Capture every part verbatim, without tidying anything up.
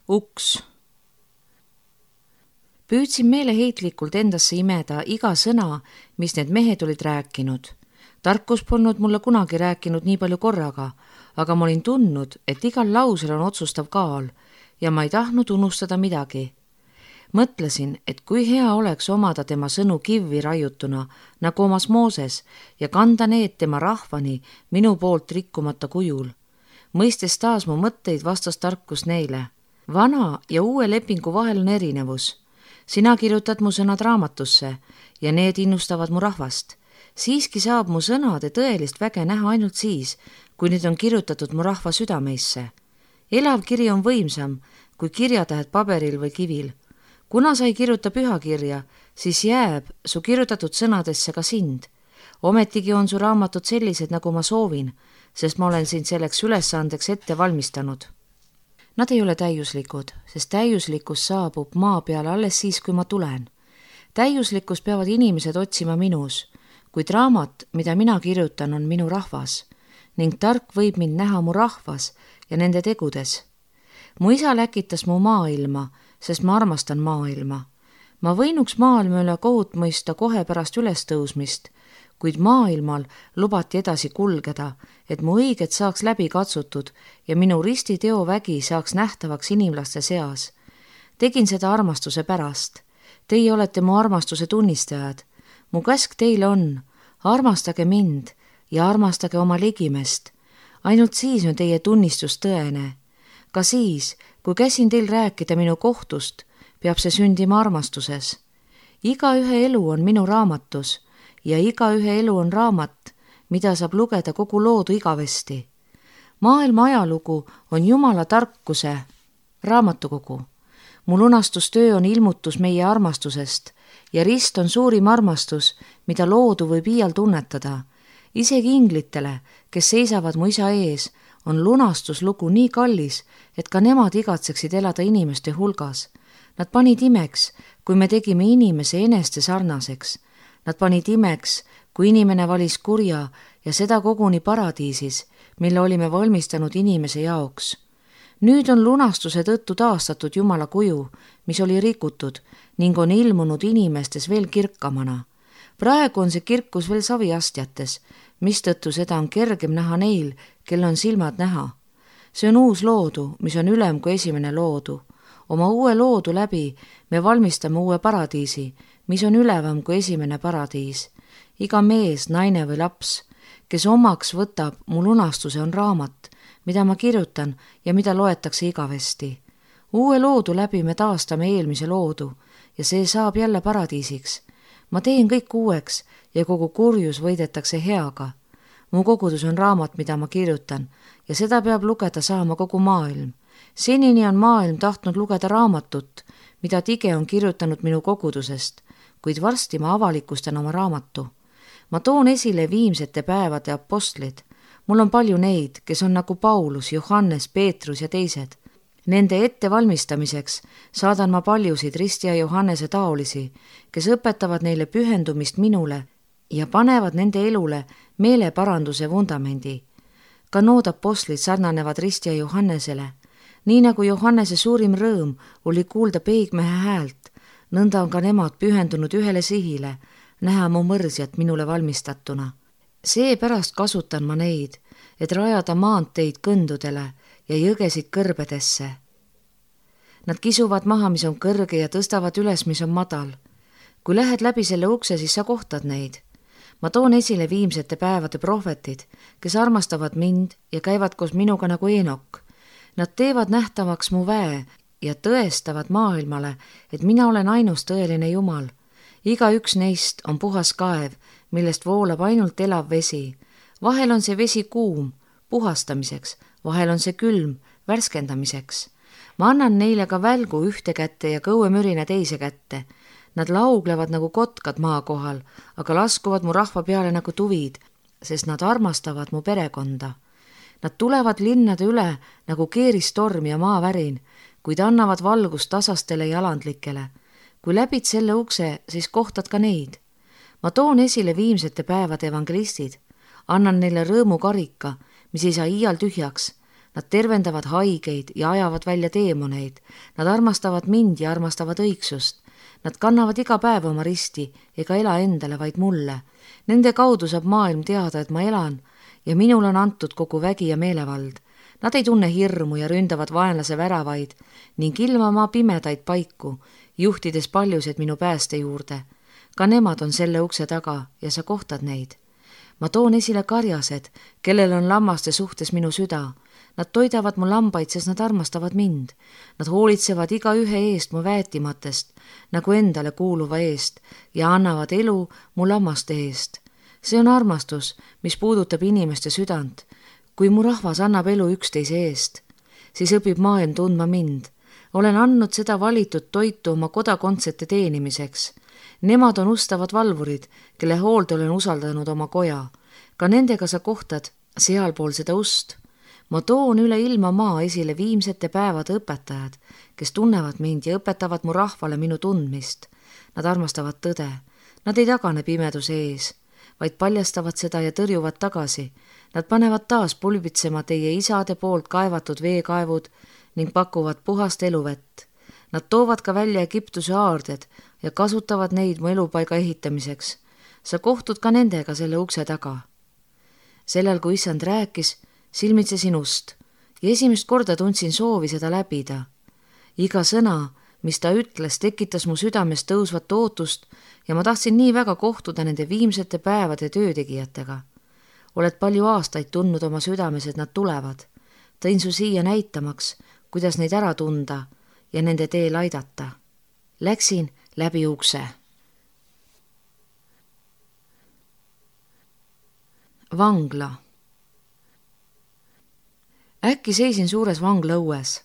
uks. Püüdsin meeleheitlikult endasse imeda iga sõna, mis need mehed olid rääkinud. Tarkus polnud mulle kunagi rääkinud nii palju korraga, aga ma olin tundnud, et igal lausel on otsustav kaal ja ma ei tahtnud unustada midagi. Mõtlesin, et kui hea oleks omada tema sõnu kivvi raiutuna, nagu omas Mooses, ja kanda need tema rahvani minu poolt rikkumata kujul. Mõistes taas mu mõtteid vastas tarkus neile. Vana ja uue lepingu vahel on erinevus. Sina kirjutad mu sõnad raamatusse ja need innustavad mu rahvast. Siiski saab mu sõnade tõelist väge näha ainult siis, kui need on kirjutatud mu rahva südameisse. Elav kiri on võimsam kui kirjatähed paberil või kivil. Kuna sa ei kirjuta pühakirja, siis jääb su kirjutatud sõnadesse ka sind. Ometigi on su raamatud sellised, nagu ma soovin, sest ma olen sind selleks ülesandeks ette valmistanud. Nad ei ole täiuslikud, sest täiuslikkus saabub maa peale alles siis, kui ma tulen. Täiuslikkus peavad inimesed otsima minus, kuid raamat, mida mina kirjutan, on minu rahvas ning tark võib mind näha mu rahvas ja nende tegudes. Mu isa läkitas mu maailma, sest ma armastan maailma. Ma võinuks maailma üle kohut mõista kohe pärast ülestõusmist, kuid maailmal lubati edasi kulgeda, et mu õiged saaks läbi katsutud ja minu ristiteo vägi saaks nähtavaks inimlaste seas. Tegin seda armastuse pärast. Teie olete mu armastuse tunnistajad. Mu käsk teile on, armastage mind ja armastage oma ligimest. Ainult siis on teie tunnistus tõene. Ka siis, kui käsin teil rääkida minu kohtust, peab see sündima armastuses. Iga ühe elu on minu raamatus ja iga ühe elu on raamat, mida saab lugeda kogu loodu igavesti. Maailma ajalugu on Jumala tarkuse raamatukogu. Mu lunastustöö on ilmutus meie armastusest ja rist on suurim armastus, mida loodu võib iial tunnetada. Isegi inglitele, kes seisavad mu isa ees, on lunastuslugu nii kallis, et ka nemad igatseksid elada inimeste hulgas. Nad panid imeks, kui me tegime inimese eneste sarnaseks. Nad panid imeks, kui inimene valis kurja ja seda koguni paradiisis, mille olime valmistanud inimese jaoks. Nüüd on lunastuse tõttu taastatud Jumala kuju, mis oli rikutud ning on ilmunud inimestes veel kirkamana. Praegu on see kirkus veel saviastjates, mistõttu seda on kergem näha neil, kel on silmad näha. See on uus loodu, mis on ülem kui esimene loodu. Oma uue loodu läbi me valmistame uue paradiisi, mis on ülevam kui esimene paradiis. Iga mees, naine või laps, kes omaks võtab mu lunastuse, on raamat, mida ma kirjutan ja mida loetakse igavesti. Uue loodu läbi me taastame eelmise loodu ja see saab jälle paradiisiks. Ma teen kõik uueks ja kogu kurjus võidetakse heaga. Mu kogudus on raamat, mida ma kirjutan ja seda peab lugeda saama kogu maailm. Senini on maailm tahtnud lugeda raamatut, mida Tige on kirjutanud minu kogudusest, kuid varsti ma avalikustan oma raamatu. Ma toon esile viimsete päevade apostlid. Mul on palju neid, kes on nagu Paulus, Johannes, Peetrus ja teised. Nende ettevalmistamiseks saadan ma paljusid Risti ja Johannese taolisi, kes õpetavad neile pühendumist minule ja panevad nende elule meeleparanduse vundamendi. Ka nood apostlid sarnanevad Risti ja Johannesele. Nii nagu Johannese suurim rõõm oli kuulda peigmehe häält, nõnda on ka nemad pühendunud ühele sihile, näha mu mõrsjat minule valmistatuna. Seepärast kasutan ma neid, et rajada maanteid kõndudele ja jõgesid kõrbedesse. Nad kisuvad maha, mis on kõrge ja tõstavad üles, mis on madal. Kui lähed läbi selle ukse, siis sa kohtad neid. Ma toon esile viimsete päevade prohvetid, kes armastavad mind ja käivad koos minuga nagu Eenok. Nad teevad nähtavaks mu väe ja tõestavad maailmale, et mina olen ainus tõeline Jumal. Iga üks neist on puhas kaev, millest voolab ainult elav vesi. Vahel on see vesi kuum, puhastamiseks, vahel on see külm, värskendamiseks. Ma annan neile ka välgu ühte kätte ja kõuemürine teise kätte. Nad lauglevad nagu kotkad maa kohal, aga laskuvad mu rahva peale nagu tuvid, sest nad armastavad mu perekonda. Nad tulevad linnade üle nagu keeristorm ja maavärin, kuid annavad valgust tasastele ja alandlikele. Kui läbid selle ukse, siis kohtad ka neid. Ma toon esile viimsete päevade evangelistid, annan neile rõõmu karika, mis ei saa iial tühjaks. Nad tervendavad haigeid ja ajavad välja teemoneid. Nad armastavad mind ja armastavad õigsust. Nad kannavad iga päev oma risti ega ela endale, vaid mulle. Nende kaudu saab maailm teada, et ma elan ja minul on antud kogu vägi ja meelevald. Nad ei tunne hirmu ja ründavad vaenlase väravaid ning ilmama pimedaid paiku, juhtides paljused minu pääste juurde. Ka nemad on selle ukse taga ja sa kohtad neid. Ma toon esile karjased, kellel on lammaste suhtes minu süda. Nad toidavad mu lambaid, sest nad armastavad mind. Nad hoolitsevad iga ühe eest mu väetimatest, nagu endale kuuluva eest, ja annavad elu mu lammaste eest. See on armastus, mis puudutab inimeste südant. Kui mu rahvas annab elu üksteise eest, siis õpib maailm tundma mind. Olen andnud seda valitud toitu oma kodakondsete teenimiseks. Nemad on ustavad valvurid, kelle hoolde olen usaldanud oma koja. Ka nendega sa kohtad sealpool seda ust. Ma toon üle ilma maa esile viimsete päevade õpetajad, kes tunnevad mind ja õpetavad mu rahvale minu tundmist. Nad armastavad tõde. Nad ei tagane pimeduse ees, vaid paljastavad seda ja tõrjuvad tagasi. Nad panevad taas pulbitsema teie isade poolt kaevatud veekaevud ning pakuvad puhast eluvett. Nad toovad ka välja Egiptuse aarded ja kasutavad neid mu elupaiga ehitamiseks. Sa kohtud ka nendega selle ukse taga. Sellel, kui issand rääkis, silmitsesin ust ja esimest korda tundsin soovi seda läbida. Iga sõna, mis ta ütles, tekitas mu südames tõusvat ootust ja ma tahtsin nii väga kohtuda nende viimsete päevade töötegijatega. Oled palju aastaid tundnud oma südames, et nad tulevad. Tõin su siia näitamaks, kuidas neid ära tunda ja nende teel aidata. Läksin läbi ukse. Vangla. Äkki seisin suures vangla õues.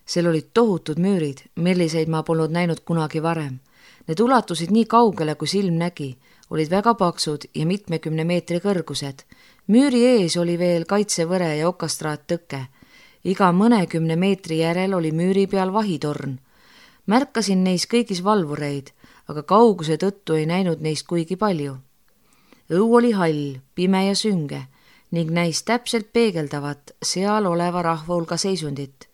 Seal olid tohutud müürid, milliseid ma polnud näinud kunagi varem. Need ulatusid nii kaugele, kui silm nägi, olid väga paksud ja mitmekümne meetri kõrgused. Müüri ees oli veel kaitsevõre ja okastraat tõke. Iga mõnekümne meetri järel oli müüri peal vahitorn. Märkasin neis kõigis valvureid, aga kauguse tõttu ei näinud neist kuigi palju. Õu oli hall, pime ja sünge ning näis täpselt peegeldavat seal oleva rahva hulga seisundit.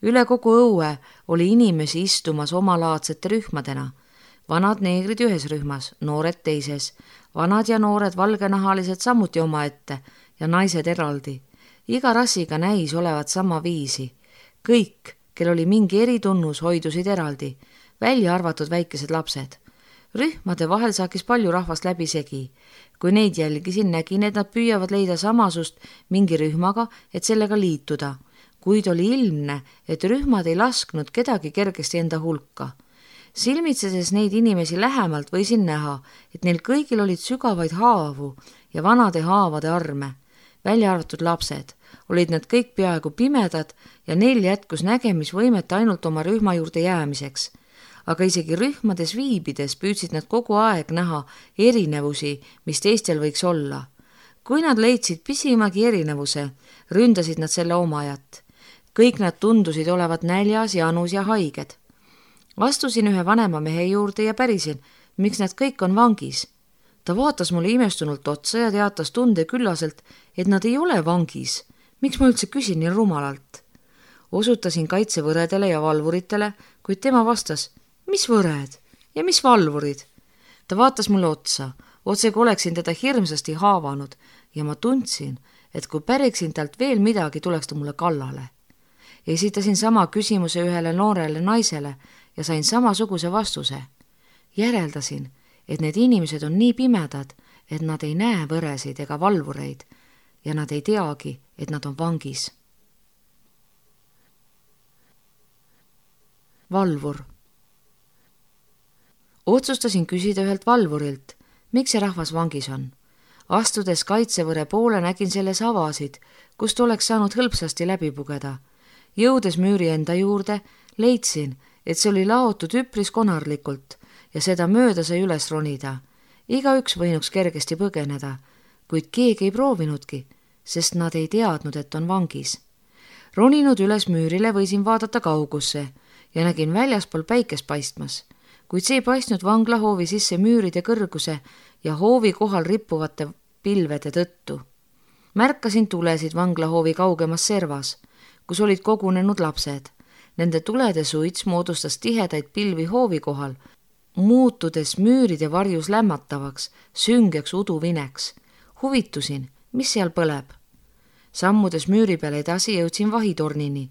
Üle kogu õue oli inimesi istumas omalaadsete rühmadena. Vanad neegrid ühes rühmas, noored teises, vanad ja noored valgenahalised samuti omaette ja naised eraldi. Iga rassiga näis olevat sama viisi. Kõik, kel oli mingi eritunnus, hoidusid eraldi, välja arvatud väikesed lapsed. Rühmade vahel saakis palju rahvast läbi segi. Kui neid jälgisin, nägin, et nad püüavad leida samasust mingi rühmaga, et sellega liituda. Kuid oli ilmne, et rühmad ei lasknud kedagi kergesti enda hulka. Silmitsedes neid inimesi lähemalt võisin näha, et neil kõigil olid sügavaid haavu ja vanade haavade arme. Välja arvatud lapsed, olid nad kõik peaaegu pimedad ja neil jätkus nägemisvõimet ainult oma rühma juurde jäämiseks. Aga isegi rühmades viibides püüdsid nad kogu aeg näha erinevusi, mis teistel võiks olla. Kui nad leidsid pisimagi erinevuse, ründasid nad selle omajat. Kõik nad tundusid olevat näljas, janus ja haiged. Astusin ühe vanema mehe juurde ja pärisin, miks nad kõik on vangis. Ta vaatas mulle imestunult otsa ja teatas tunde küllaselt, et nad ei ole vangis. Miks ma üldse küsin nii rumalalt? Osutasin kaitsevõredele ja valvuritele, kuid tema vastas, mis võred ja mis valvurid? Ta vaatas mulle otsa, otse kui oleksin teda hirmsasti haavanud ja ma tundsin, et kui päriksin talt veel midagi, tuleks ta mulle kallale. Esitasin sama küsimuse ühele noorele naisele ja sain samasuguse vastuse. Järeldasin, et need inimesed on nii pimedad, et nad ei näe võresid ega valvureid ja nad ei teagi, et nad on vangis. Valvur. Otsustasin küsida ühelt valvurilt, miks see rahvas vangis on. Astudes kaitsevõre poole nägin selles avasid, kust oleks saanud hõlpsasti läbi pugeda. Jõudes müüri enda juurde, leidsin, et see oli laotud üpris konarlikult ja seda mööda sai üles ronida. Igaüks võinuks kergesti põgeneda, kuid keegi ei proovinudki, sest nad ei teadnud, et on vangis. Roninud üles müürile võisin vaadata kaugusse ja nägin väljaspool päikest paistmas, kuid see ei paistnud vanglahoovi sisse müüride kõrguse ja hoovi kohal rippuvate pilvede tõttu. Märkasin tulesid vanglahoovi kaugemas servas. kus olid kogunenud lapsed. Nende tulede suits moodustas tihedaid pilvi hoovi kohal, muutudes müüride varjus lämmatavaks, süngeks uduvineks. Huvitusin, mis seal põleb. Sammudes müüri peal edasi jõudsin vahitornini.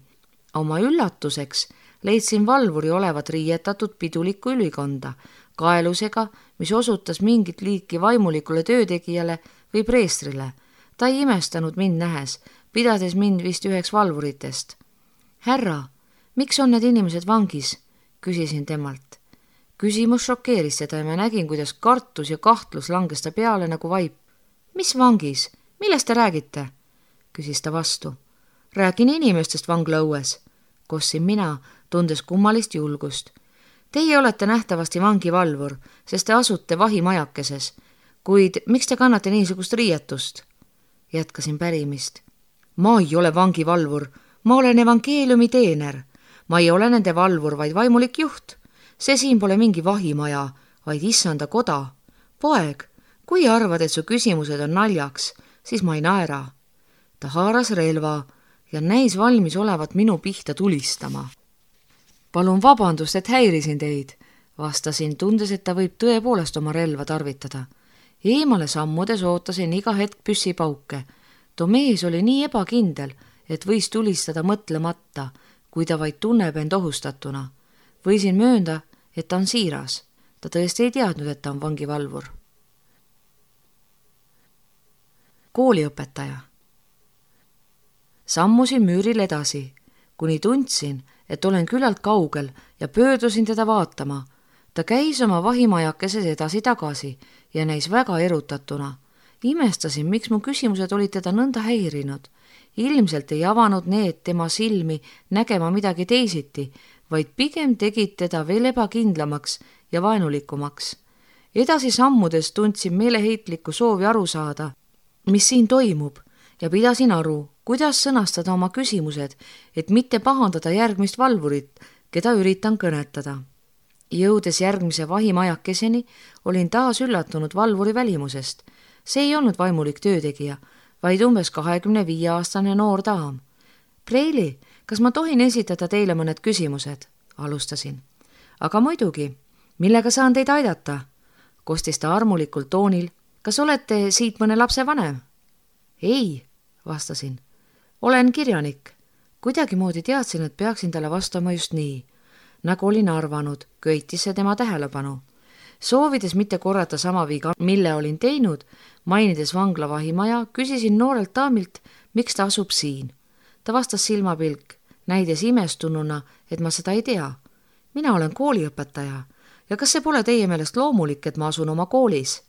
Oma üllatuseks leidsin valvuri olevat riietatud pidulikku ülikonda, kaelusega, mis osutas mingit liiki vaimulikule töötegijale või preestrile. Ta ei imestanud mind nähes, pidades mind vist üheks valvuritest. Härra, miks on need inimesed vangis? Küsisin temalt. Küsimus šokeeris seda ja ma nägin, kuidas kartus ja kahtlus langes ta peale nagu vaip. Mis vangis? Millest te räägite? Küsis ta vastu. Räägin inimestest vanglaõues. Kossin mina, tundes kummalist julgust. Teie olete nähtavasti vangivalvur, sest te asute vahimajakeses. Kuid miks te kannate niisugust riietust? Jätkasin pärimist. Ma ei ole vangivalvur, ma olen evangeeliumi teener. Ma ei ole nende valvur, vaid vaimulik juht. See siin pole mingi vahimaja, vaid issanda koda. Poeg, kui arvad, et su küsimused on naljaks, siis ma ei naera. Ta haaras relva ja näis valmis olevat minu pihta tulistama. Palun vabandust, et häirisin teid, vastasin, tundes, et ta võib tõepoolest oma relva tarvitada. Eemale sammudes ootasin iga hetk püssipauke. Too mees oli nii ebakindel, et võis tulistada mõtlemata, kui ta vaid tunneb end ohustatuna. Võisin möönda, et ta on siiras. Ta tõesti ei teadnud, et ta on vangivalvur. Kooliõpetaja. Sammusin müüril edasi, kuni tundsin, et olen küllalt kaugel ja pöördusin teda vaatama. Ta käis oma vahimajakeses edasi-tagasi ja näis väga erutatuna. Imestasin, miks mu küsimused olid teda nõnda häirinud. Ilmselt ei avanud need tema silmi nägema midagi teisiti, vaid pigem tegid teda veel ebakindlamaks ja vaenulikumaks. Edasi sammudes tundsin meeleheitlikku soovi aru saada, mis siin toimub, ja pidasin aru, kuidas sõnastada oma küsimused, et mitte pahandada järgmist valvurit, keda üritan kõnetada. Jõudes järgmise vahimajakeseni, olin taas üllatunud valvuri välimusest. See ei olnud vaimulik töötegija, vaid umbes kahekümne viie aastane noor daam. Preili, kas ma tohin esitada teile mõned küsimused? Alustasin. Aga muidugi, millega saan teid aidata? Kostis ta armulikul toonil. Kas olete siit mõne lapse vanem? Ei, vastasin. Olen kirjanik. Kuidagi moodi teadsin, et peaksin talle vastama just nii. Nagu olin arvanud, köitis see tema tähelepanu. Soovides mitte korrata sama viga, mille olin teinud, mainides vangla vahimaja, küsisin noorelt daamilt, miks ta asub siin. Ta vastas silmapilk, näides imestununa, et ma seda ei tea. Mina olen kooliõpetaja ja kas see pole teie meelest loomulik, et ma asun oma koolis?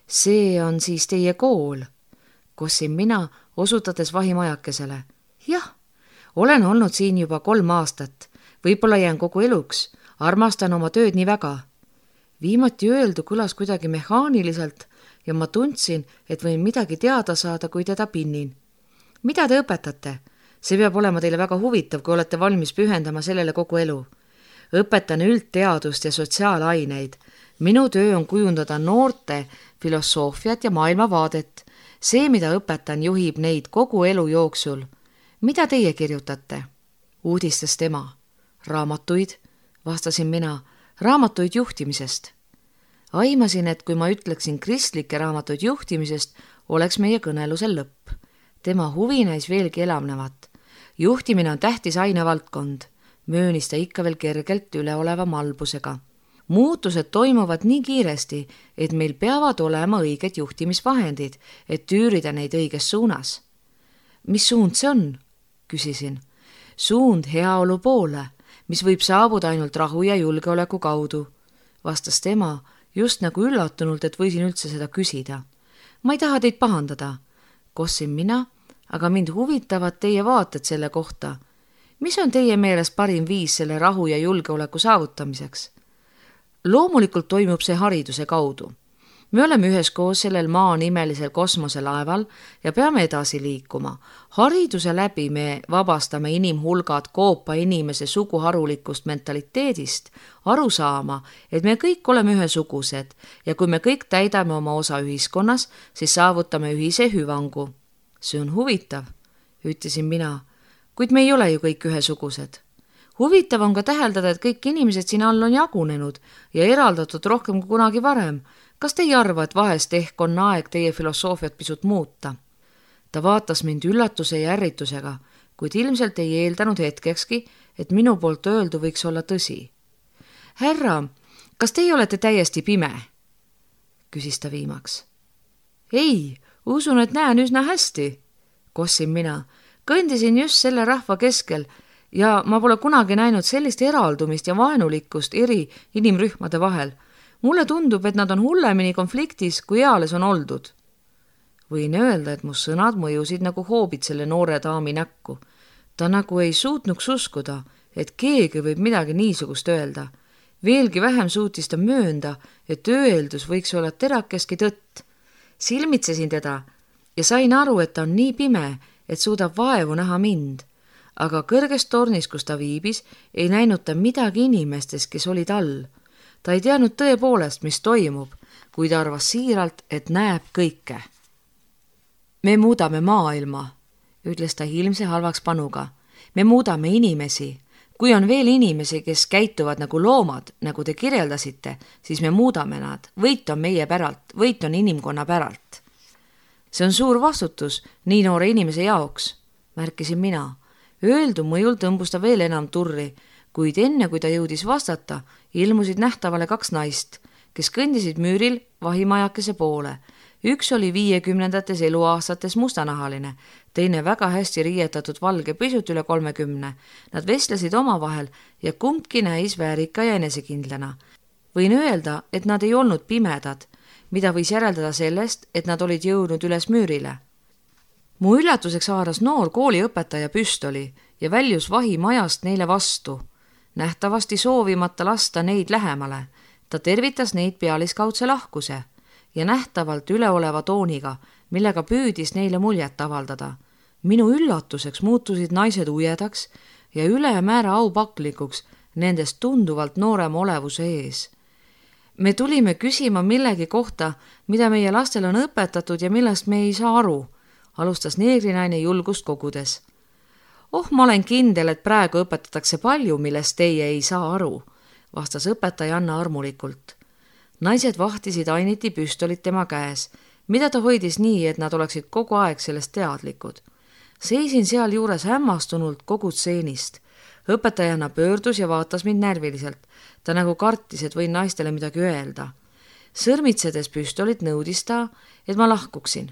See on siis teie kool, kossin mina, osutades vahimajakesele. Jah, olen olnud siin juba kolm aastat. Võib-olla jään kogu eluks. Armastan oma tööd nii väga. Viimati öeldu kõlas kuidagi mehaaniliselt ja ma tundsin, et võin midagi teada saada, kui teda pinnin. Mida te õpetate? See peab olema teile väga huvitav, kui olete valmis pühendama sellele kogu elu. Õpetan üldteadust ja sotsiaalaineid. Minu töö on kujundada noorte filosoofiat ja maailmavaadet. See, mida õpetan, juhib neid kogu elu jooksul. Mida teie kirjutate? Uudistas tema. Raamatuid, vastasin mina, raamatuid juhtimisest. Aimasin, et kui ma ütleksin kristlike raamatuid juhtimisest, oleks meie kõnelusel lõpp. Tema huvi näis veelgi elavnevat. Juhtimine on tähtis ainevaldkond, möönis ta ikka veel kergelt üleoleva malbusega. Muutused toimuvad nii kiiresti, et meil peavad olema õiged juhtimisvahendid, et üürida neid õiges suunas. Mis suund see on? Küsisin. Suund heaolu poole, mis võib saabuda ainult rahu ja julgeoleku kaudu, vastas tema, just nagu üllatunult, et võisin üldse seda küsida. Ma ei taha teid pahandada, kossin mina, aga mind huvitavad teie vaated selle kohta. Mis on teie meelest parim viis selle rahu ja julgeoleku saavutamiseks? Loomulikult toimub see hariduse kaudu. Me oleme üheskoos sellel maa nimelisel kosmoselaeval ja peame edasi liikuma. Hariduse läbi me vabastame inimhulgad koopa inimese suguharulikust mentaliteedist, aru saama, et me kõik oleme ühesugused ja kui me kõik täidame oma osa ühiskonnas, siis saavutame ühise hüvangu. See on huvitav, ütlesin mina. kuid me ei ole ju kõik ühesugused. Huvitav on ka täheldada, et kõik inimesed siin all on jagunenud ja eraldatud rohkem kui kunagi varem. Kas te ei arva, et vahest ehk on aeg teie filosoofiat pisut muuta? Ta vaatas mind üllatuse ja ärritusega, kuid ilmselt ei eeldanud hetkekski, et minu poolt öeldu võiks olla tõsi. Härra, kas teie olete täiesti pime? Küsis ta viimaks. Ei, usun, et näen üsna hästi, kossin mina. Kõndisin just selle rahva keskel ja ma pole kunagi näinud sellist eraldumist ja vaenulikkust eri inimrühmade vahel. Mulle tundub, et nad on hullemini konfliktis, kui eales on oldud. Võin öelda, et mu sõnad mõjusid nagu hoobid selle noore daami näkku. Ta nagu ei suutnuks uskuda, et keegi võib midagi niisugust öelda. Veelgi vähem suutis ta möönda, et öeldus võiks olla terakeski tõtt. Silmitsesin teda ja sain aru, et ta on nii pime, et suudab vaevu näha mind. Aga kõrges tornis, kus ta viibis, ei näinud ta midagi inimestest, kes olid all. Ta ei teadnud tõepoolest, mis toimub, kui ta arvas siiralt, et näeb kõike. Me muudame maailma, ütles ta ilmse halvaks panuga. Me muudame inimesi. Kui on veel inimesi, kes käituvad nagu loomad, nagu te kirjeldasite, siis me muudame nad. Võit on meie päralt, võit on inimkonna päralt. See on suur vastutus nii noore inimese jaoks, märkisin mina. Öeldu mõjul tõmbus ta veel enam turri, kuid enne kui ta jõudis vastata, ilmusid nähtavale kaks naist, kes kõndisid müüril vahimajakese poole. Üks oli viiekümnendates eluaastates mustanahaline, teine väga hästi riietatud valge pisut üle kolmekümne. Nad vestlesid omavahel ja kumbki näis väärika ja enesekindlana. Võin öelda, et nad ei olnud pimedad, mida võis järeldada sellest, et nad olid jõudnud üles müürile. Mu üllatuseks haaras noor kooliõpetaja püstoli ja väljus vahimajast neile vastu, nähtavasti soovimata lasta neid lähemale. Ta tervitas neid pealiskaudse lahkuse ja nähtavalt üleoleva tooniga, millega püüdis neile muljet avaldada. Minu üllatuseks muutusid naised ujedaks ja ülemäära aupaklikuks nendest tunduvalt noorema olevuse ees. Me tulime küsima millegi kohta, mida meie lastel on õpetatud ja millest me ei saa aru, alustas neegrinaine julgust kogudes. Oh, ma olen kindel, et praegu õpetatakse palju, millest teie ei saa aru, vastas õpetaja Anna armulikult. Naised vahtisid ainiti püstolit tema käes, mida ta hoidis nii, et nad oleksid kogu aeg sellest teadlikud. Seisin seal juures hämmastunult kogu stseenist. Õpetajana pöördus ja vaatas mind närviliselt. Ta nagu kartis, et võin naistele midagi öelda. Sõrmitsedes püstolit nõudis ta, et ma lahkuksin.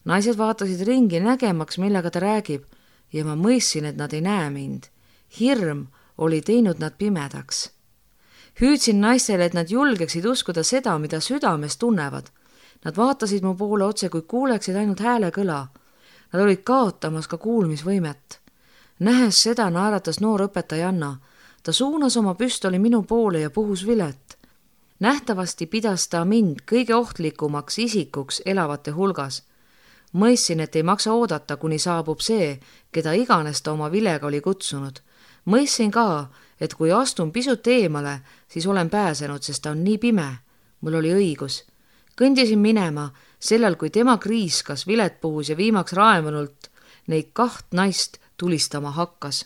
Naised vaatasid ringi nägemaks, millega ta räägib, ja ma mõistsin, et nad ei näe mind. Hirm oli teinud nad pimedaks. Hüüdsin naistele, et nad julgeksid uskuda seda, mida südames tunnevad. Nad vaatasid mu poole otse, kui kuuleksid ainult hääle kõla. Nad olid kaotamas ka kuulmisvõimet. Nähes seda naeratas noor õpetaja Anna. Ta suunas oma püstoli minu poole ja puhus vilet. Nähtavasti pidas ta mind kõige ohtlikumaks isikuks elavate hulgas. Mõistsin, et ei maksa oodata, kuni saabub see, keda iganes ta oma vilega oli kutsunud. Mõistsin ka, et kui astun pisut eemale, siis olen pääsenud, sest ta on nii pime. Mul oli õigus. Kõndisin minema, sellel kui tema kriiskas, vilet puhus ja viimaks raemunult neid kaht naist tulistama hakkas.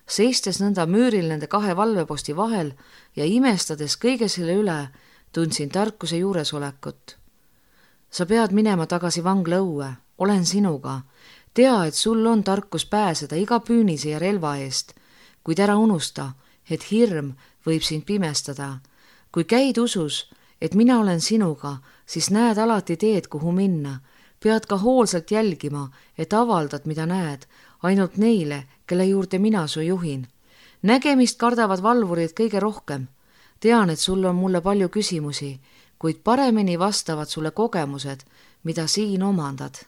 Seistes nõnda müüril nende kahe valveposti vahel ja imestades kõige selle üle, tundsin tarkuse juuresolekut. Sa pead minema tagasi vangla õue, olen sinuga. Tea, et sul on tarkus pääseda iga püünise ja relva eest, kuid ära unusta, et hirm võib sind pimestada. Kui käid usus, et mina olen sinuga, siis näed alati teed, kuhu minna. Pead ka hoolsalt jälgima, et avaldad, mida näed, ainult neile, kelle juurde mina su juhin. Nägemist kardavad valvurid kõige rohkem. Tean, et sul on mulle palju küsimusi, kuid paremini vastavad sulle kogemused, mida siin omandad.